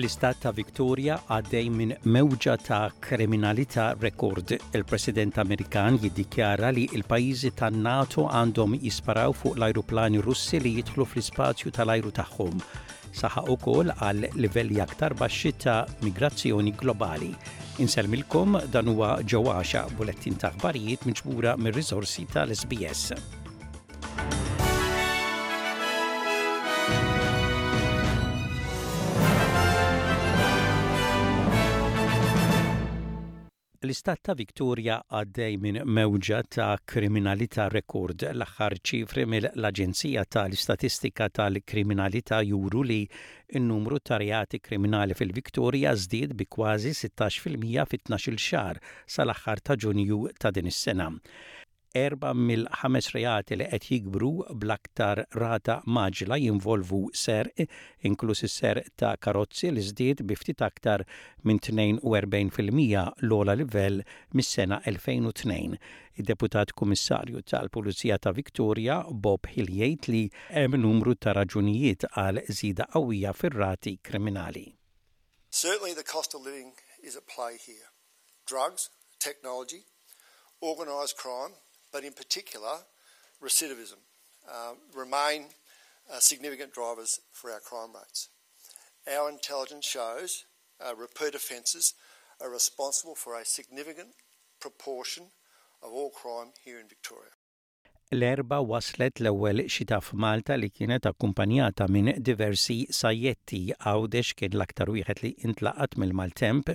L-istat ta' Victoria għaddej minn mewġa ta' kriminalità rekord. Il-President Amerikan jiddikjara li l-pajjiżi tan-NATO għandhom jisparaw fuq l-ajruplani Russi li jidħlu fl-ispazju tal-ajru tagħhom. Saħaq ukoll għal livelli aktar baxxi ta' migrazzjoni globali. Insellmilkom dan huwa Ġo Għaxa, bulettin ta' aħbarijiet miġbura mir-riżorsi tal-SBS. L-istat ta' Victoria għaddej minn mewġa ta' kriminalità rekord. L-aħħar ċifri mill-Aġenzija tal-Istatistika tal-Kriminalità juru li n-numru ta' reati kriminali fil-Victoria żdied bi kważi 16 fil-mija fi tnax-il xahar sal-aħħar ta' Ġunju ta' din is-sena. Erbgħa mill-ħames reati li qed jikbru bl-aktar rata mgħaġġla jinvolvu serq, inkluż is-serq ta' karozzi li żdied bi ftit aktar minn 42%, l-ogħla livell mis-sena 2002. Id-Deputat Kummissarju tal-Pulizija ta' Victoria, Bob Hill jgħid li hemm numru ta' raġunijiet għal żieda qawwija fir-rati kriminali. Certainly the cost of living is at play here. Drugs, technology, organised crime, but in particular recidivism, uh, remain uh, significant drivers for our crime rates. Our intelligence shows uh, repeat offences are responsible for a significant proportion of all crime here in Victoria. L-Erbgħa waslet l-ewwel xita f'Malta li kienet akkumpanjata minn diversi sajjetti. Għawdex kien l-aktar wieħed li intlaqat mill-maltemp.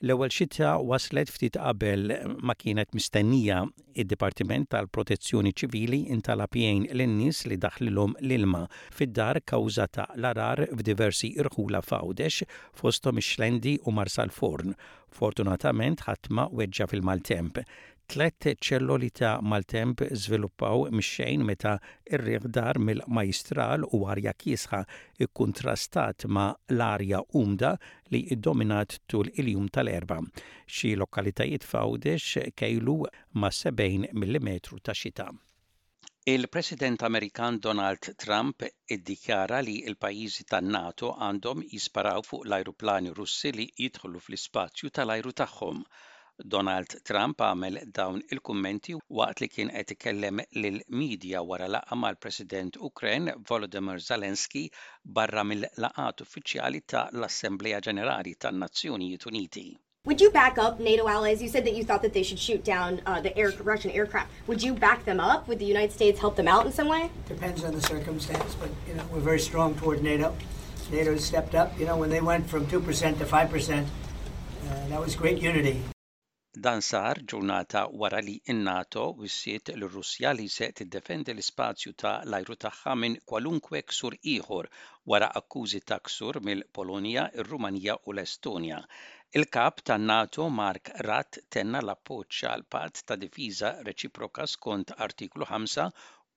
L-ewwel xita waslet ftit qabel ma kienet mistennija. Id-Dipartiment tal-Protezzjoni Ċivili intalab jgħin lin-nies li daħlilhom l-ilma fid-dar kawża ta' l-għarar f'diversi rħula f'Għawdex, fosthom ix-Xlendi u Marsalforn. Fortunatament ħadd ma weġġa' fil-maltemp. Tlett ċelloli ta' maltemp żviluppaw mix-xejn meta r-riħ dar mill-Majjistral u arja kiesħa kkuntrastat ma' l-arja umda li ddominat tul il-jum tal-Erbgħa. Xi lokalitajiet f'Għawdex kejlu mas-70 millimetru ta' xita. Il-President Amerikan Donald Trump iddikjara li l-pajjiżi tan-NATO għandhom jisparaw fuq l-ajruplani Russi li jidħlu fl-ispazju tal-ajru tagħhom. Donald Trump għamel dawn il-kummenti waqt li kien qed ikellem lill-midja wara laqgħa mal-President Ukren Volodymyr Zelensky barra mill-laqgħat uffiċjali ta' l-Assemblea Ġenerali tan-Nazzjonijiet Uniti. Would you back up NATO allies? You said that you thought that they should shoot down uh, the air, Russian aircraft. Would you back them up? Would the United States help them out in some way? Depends on the circumstance, but you know we're very strong toward NATO. NATO stepped up. You know when they went from 2% to 5%, uh, that was great unity. Dan sar ġurnata wara li n-NATO wissiet lir-Russja li se tiddefendi l-ispazju ta' l-ajru tagħha minn kwalunkwe ksur ieħor wara akkużi ta' ksur mill-Polonja, ir-Rumanija u l-Estonja. Il-Kap tan-NATO Mark Rutte tenna l-appoġġ għall-patt ta' difiża reċiproka skont Artiklu 5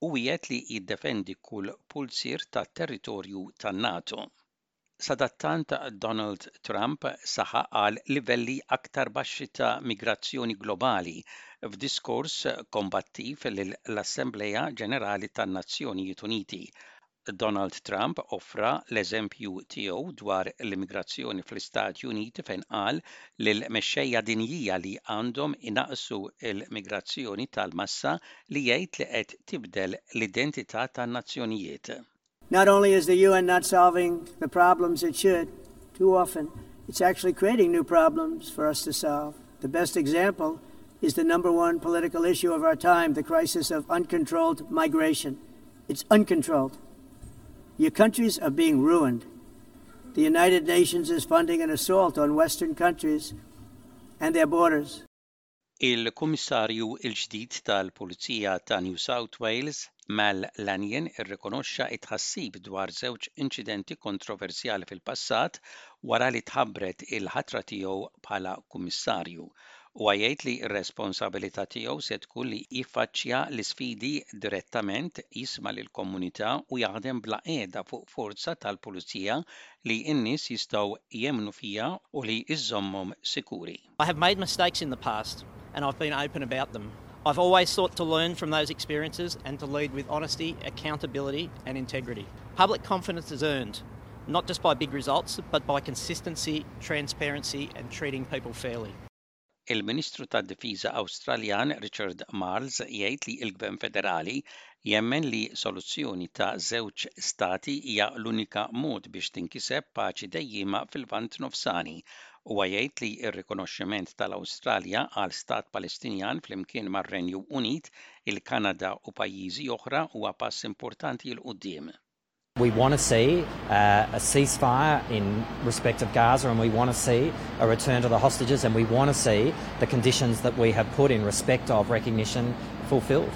u wiegħed li jiddefendi kull pulzier tat-territorju tan-NATO. Sadattant Donald Trump saħaq għal livelli aktar baxxi ta' migrazzjoni globali f'diskors kombattiv lill-Assemblea Ġenerali tan-Nazzjonijiet Uniti. Donald Trump offra l-eżempju tiegħu dwar l-immigrazzjoni fl-Istati Uniti fejn qal lill-mexxejja dinjija li għandhom inaqqsu l-migrazzjoni tal-massa li jgħid li qed tibdel l-identità tan-nazzjonijiet. Not only is the UN not solving the problems it should, too often, it's actually creating new problems for us to solve. The best example is the number one political issue of our time, the crisis of uncontrolled migration. It's uncontrolled. Your countries are being ruined. The United Nations is funding an assault on Western countries and their borders. Il-Kummissarju l-ġdid tal-Pulizija ta' New South Wales, Mal Lanyon irrikonoxxa t-tħassib dwar żewġ inċidenti kontroversjali fil-passat wara li tħabbret il-ħatra tiegħu bħala Kummissarju. Huwa jgħid li r-responsabilità tiegħu se tkun li jiffaċċja l-isfidi direttament, jisma' lill-komunità u jaħdem bla qiegħda fuq forza tal-pulizija li n-nies jistgħu jemmnu fiha u li żżommhom sikuri. I have made mistakes in the past and I've been open about them. I've always sought to learn from those experiences and to lead with honesty, accountability and integrity. Public confidence is earned, not just by big results, but by consistency, transparency and treating people fairly. Il-Ministru tad-Difiża Awstraljan Richard Marles jgħid li l-Gvern Federali jemmen li soluzzjoni ta' żewġ stati hija l-unika mod biex tinkiseb paċi dejjiema fil-Lvant Nofsani. Huwa jgħid li r-rikonoxximent tal-Awstralja għal stat Palestinjan flimkien mar-Renju Unit, il-Kanada u pajjiżi oħra huwa pass importanti 'l quddiem. We want to see uh, a ceasefire in respect of Gaza and we want to see a return to the hostages and we want to see the conditions that we have put in respect of recognition fulfilled.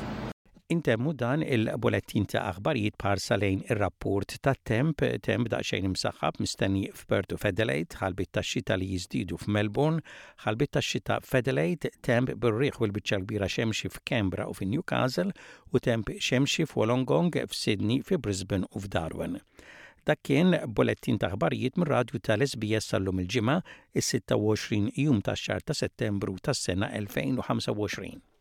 Intemmu dan il-bulettin ta' aħbarijiet b'ħarsa lejn ir-rapport tat-temp, temp daqsxejn imsaħħab mistenni f'Perth u f'Adelaide, ħalbiet tax-xita li jiżdiedu f'Melbourne, ħalbiet tax-xita f'Adelaide, temp bir-riħ u l-biċċa l-kbira xemxi f'Canberra u fi Newcastle, u temp xemxi f'Wollongong, f'Sydney, fi Brisbane u f'Darwin. Dak kien bulettin ta' aħbarijiet mir-radju tal-SBS għal-lum il-Ġimgħa, is-26 jum tax-xahar ta' Settembru tas-sena 2025.